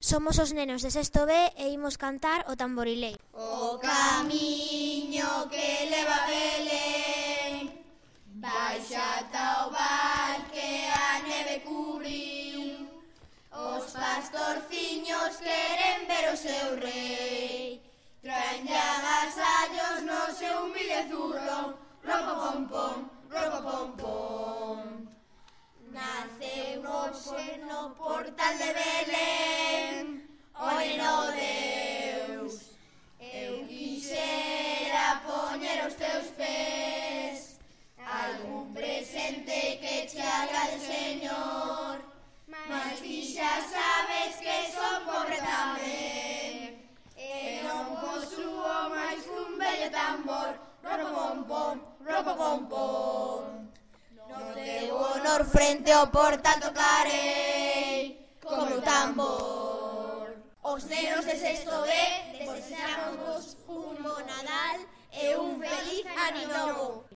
Somos os nenos de sexto B e imos cantar o tamborileiro. O camiño que leva a Belén baixa ata o val que a neve cubriu. Os pastorciños queren ver o seu rei, traenlle agasallos no seu humilde zurro. Ropa pom pom, ropa pom pom. Naceu hoxe no portal de Belén o neno Deus. Eu quixera poñer os teus pés algún presente que che agrade, Señor, mas ti xa sabes que son pobre tamén e non posúo máis un bello tambor. Ropa pom pom, ropa pom pom. No teu honor frente ao portal tocarei co meu tambor. Os nenos de sexto B desexamos un bo Nadal e un feliz Ano Novo.